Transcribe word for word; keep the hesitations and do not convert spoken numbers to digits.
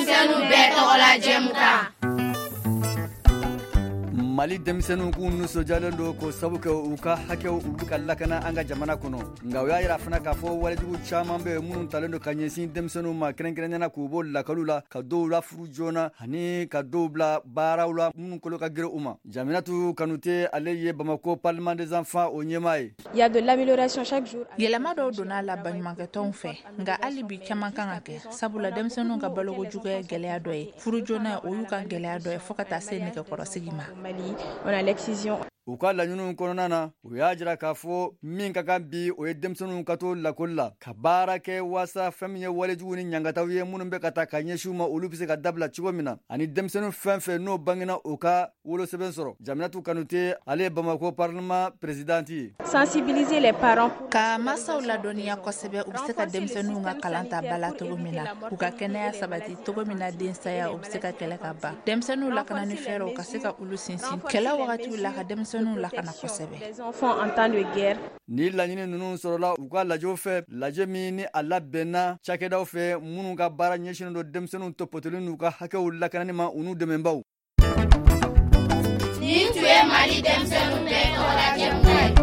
Denmisɛnninw bɛɛ tɔgɔla jɛmukan. Mali denmisɛnninw k'u nisɔndiyalen don k'o sabu kɛ u ka hakɛw, u bɛ ka lakana an ka jamana kɔnɔ. Nka u y'a yira fana k'a fɔ walejugu caman bɛ yen minnu talen don ka ɲɛsin denmisɛnninw ma, kɛrɛnkɛrɛnnenya k'u bɔ lakɔliw la, ka dɔw la furu joona ani ka dɔw bila baaraw la minnu kolo ka girin u ma. Jaminatu Kanute, ale ye Bamako Parlement des enfants o ɲɛmaa ye. Il y a de l'amélioration chaque jour. Yɛlɛma dɔw donna a la baɲumankɛtɔnw fɛ, nka hali bi caman kan ka kɛ, sabula denmisɛnninw ka baloko juguya ye gɛlɛya dɔ ye, furu joona o y'u ka gɛlɛya dɔ ye, fɔɔ ka taa se nɛgɛkɔrɔsigi ma. Mali, on a l'excision. U ka laɲiniw kɔnɔna na, u y'a jira k'a fɔ min ka kan bi, o ye denmisɛnninw ka to lakɔli la ka baara kɛ, waasa fɛn min ye walejugu ni ɲangataw ye minnu bɛ ka ta ka ɲɛsin u ma, olu bɛ se ka dabila cogo min na, ani denmisɛnnin fɛn fɛn n'o bangena, u ka wolosɛbɛn sɔrɔ. Jaminatu Kanute, ale ye Bamako Parlement présidente ye. Sensibiliser les parents. Ka masaw ladɔnniya kosɛbɛ, u bɛ se ka denmisɛnninw ka kalan ta ba la cogo min na, k'u ka kɛnɛya sabati cogo min na, densaya o bɛ se ka kɛlɛ ka ban, denmisɛnninw lakana ni fɛɛrɛw ka se ka olu sinsin kɛlɛ wagatiw la, ka denmisɛnninw lakana kosɛbɛ. Les enfants en temps de guerre. Ni laɲini ninnu sɔrɔla u ka lajɛw fɛ, lajɛ min ni a labɛnna cakɛdaw fɛ minnu ka baara ɲɛsinnen don denmisɛnninw tɔpɔtɔli n'u ka hakɛw lakanani ma, u n'u dɛmɛbaw. Nin tun ye Mali denmisɛnninw bɛɛ tɔgɔla jɛmukan ye.